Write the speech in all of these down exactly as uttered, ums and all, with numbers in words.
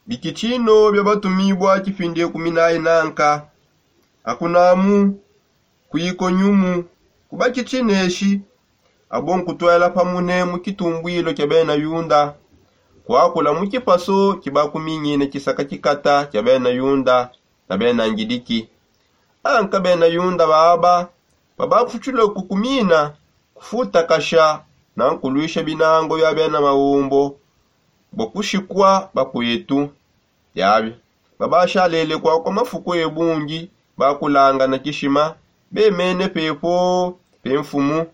Bikitshino bia batumibua kipindi ekumi nayi nanka. Akunamu, ku ikonyumu, ku bakitshineshi, abo nkutwela pamune mu kitumbuilo kia bena yunda, kuakula mu kipaso kibakumingine kisaka kikata kia bena yunda na bena ngidiki. Anka bena yunda baba babakutshile kukumina, kufutakasha na nkuluisha binango bia bena maumbo, bua kushikua bakuetu. Biabi babashalele kuakua mafuku ebungi, bakulangana kishima, bemene pepo pe mfumu,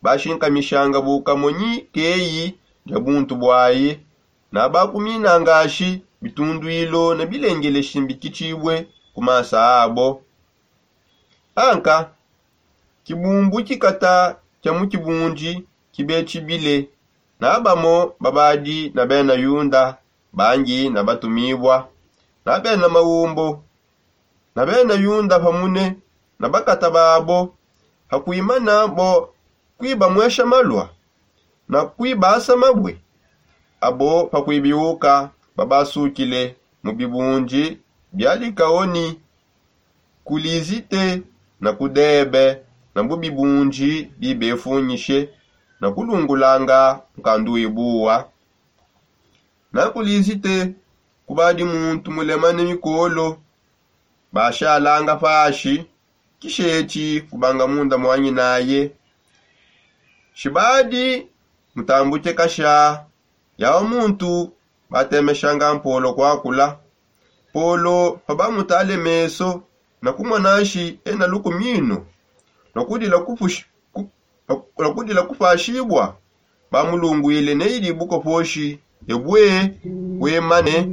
bashinkamishanga bukamonyi keyi dia buntu buaye, na bakuminangashi bitunduilo ne bilengeleshi mbikitshibue ku masa abo. Anka kibumbu kikata kia mu kibundi kibetshibile, na bamo babadi na bena yunda bangi na batumibua, na bena maumbo, na bena yunda pamune na bakata babo, pakuimana bo kuibamwesha malua na kuibasa mabue. Abo pakuibiuka babasukile mu bibundi bia Likaoni, ku Lizite na ku Debe, na bu bibundi bibefunyishe na kulungulanga nkandu ibuwa. Na ku Lizite kubadi muntu mulemane mikolo, bashalanga pashi, kishetshi kubanga munda muanyinaye. Shibadi mutambuke kasha, yawa muntu batemeshanga Mpolo kuakula. Polo pabamutale meso na kumona nshi ena lukumino lua kudila kupushi- ku- lua kudila kupashibua, bamulunguile ne idi bukoposhi ebue, wemane,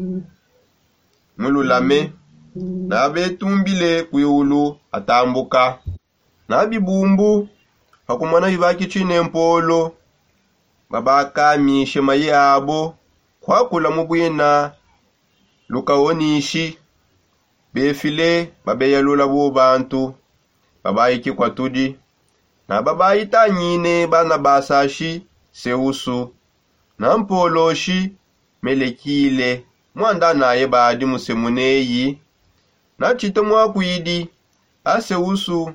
mululame, na betumbile kuiulu atambuka. Na bibumbu pakumona bibakitshine Mpolo, babakamishe mayi abo kuakula mu buina Lukaonishi. Befile babeyalula bu bantu babayiki kuatudi, na babayitangine Banabasa shi Seusu, na Mpolo shi Melekile, muandanaye badi musemu neyi. Na tshita muakuidi, a Seusu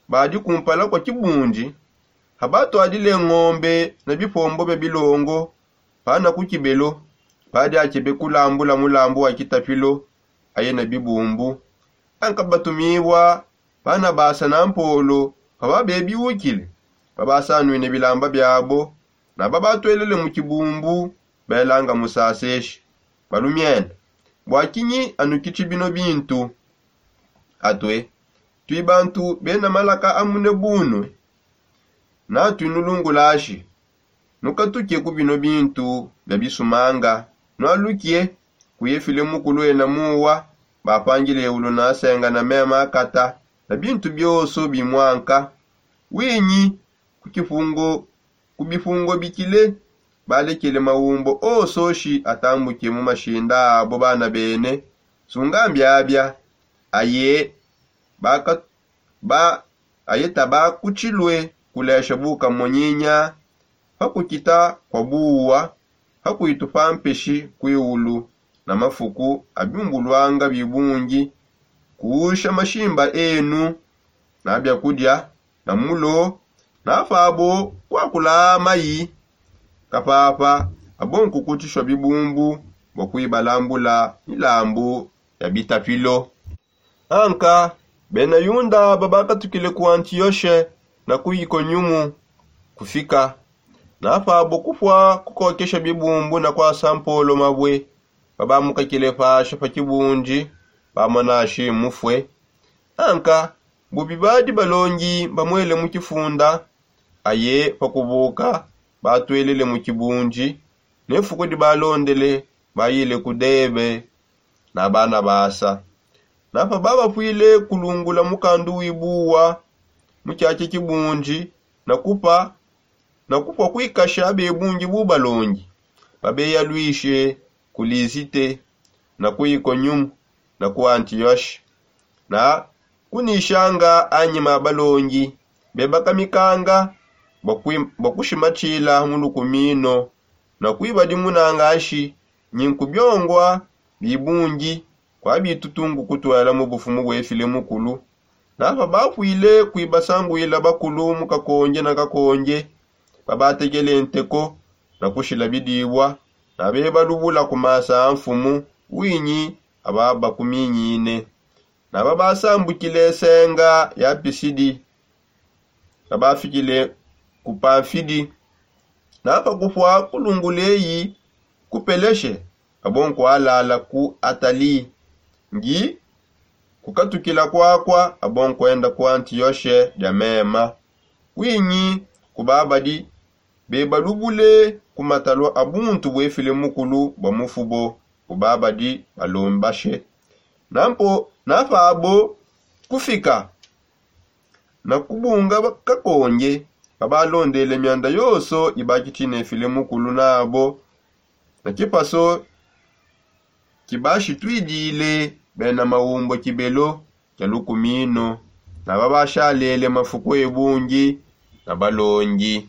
badi kumpala kua kibundi, habatuadile ngombe na bipombo bia bilongo, pana ku Kibelo, badi akebe kulambula mulambu wa kitapilo, aye na bibumbu. Anka batumibua Banabasa na Mpolo pababebiukile, babasanuine bilamba biabo, na babatwelele mu kibumbu, belanga musaseshi: Balumienda, bua kinyi anukitshi bino bintu? Atue, tui bantu bena malaka amune bunue, na tuinulungulashi. Nukatuke ku bino bintu bia bisumanga, nualuke ku Yefile mukulu ena muwa, bapangile eulu na senga na mema akata na bintu bionso bimuanka. Winyi ku kipungo, ku bipungo bikile, balekele maumbo onso shi atambuke mu mashinda abo bana bene. Sunga mbiabia, aye baka- ba- aye tabakutshilue kulesha bukamonyinya pa kukita kua buwa, pa kuitu pa mpeshi kuiulu, na mafuku abiumbuluanga bibungi, kuusha mashimba enu, na biakudia, na mulo, na pabo kuakula mayi, kapapa abo nkukutshishua bibumbu bua kuibalambula milambu ya bitapilo. Anka bena Yuda babakatukile ku Antioshe na ku Ikonyumu kufika, na pabo kupua kukokesha bibumbu na kuasa Mpolo mabue, babamukakile pasha pa kibundi, bamona shi mufue. Anka bu bibadi balongi bamuele mu kifunda, aye pa kubuka batuelele mu kibundi, ne fuku dibalondele bayile ku Debe na Banabasa. Na pababapuile kulungula mukandu wibuwa mu kiatshia kibundi, na kupa na kupua kuikasha bebungi bu balongi, babeyaluishe ku Lisite, na ku Ikonyumu, na ku Antioshe, na kunishanga anyima a balongi, bebakamikanga bua kui- bua kushimatshila mu lukumino, na kuibadimunanga shi nyi nkubiongua bibungi kwa bitutungu kutwela mu bufumu bwefile mukulu. Napa bapwile kuibasanguila bakulu mu kakonje na kakonje, babatekele nteko na kushila bidibua, na bebalubula ku masa a nfumu winyi ababakuminyine. Naba basambukile senga ya Pisidi, na bafikile ku Pamfidi. Napa kupua kulungula eyi ku Peleshe, abo nkualala ku Atali. Ngi kukatukila kuakua, abo nkuenda ku Antioshe dia mema. Winyi kubabadi bebalubule ku matalua a buntu buefile mukulu bua mufubo, kubabadi balombashe. Nampo napa abo kufika na kubunga kakonje, babalondele mianda yonso ibakitine file mukulu nabo na kipaso kibashitwidile bena maumbo kibelo kia lukumino, na babashalele mafuku ebungi na balongi.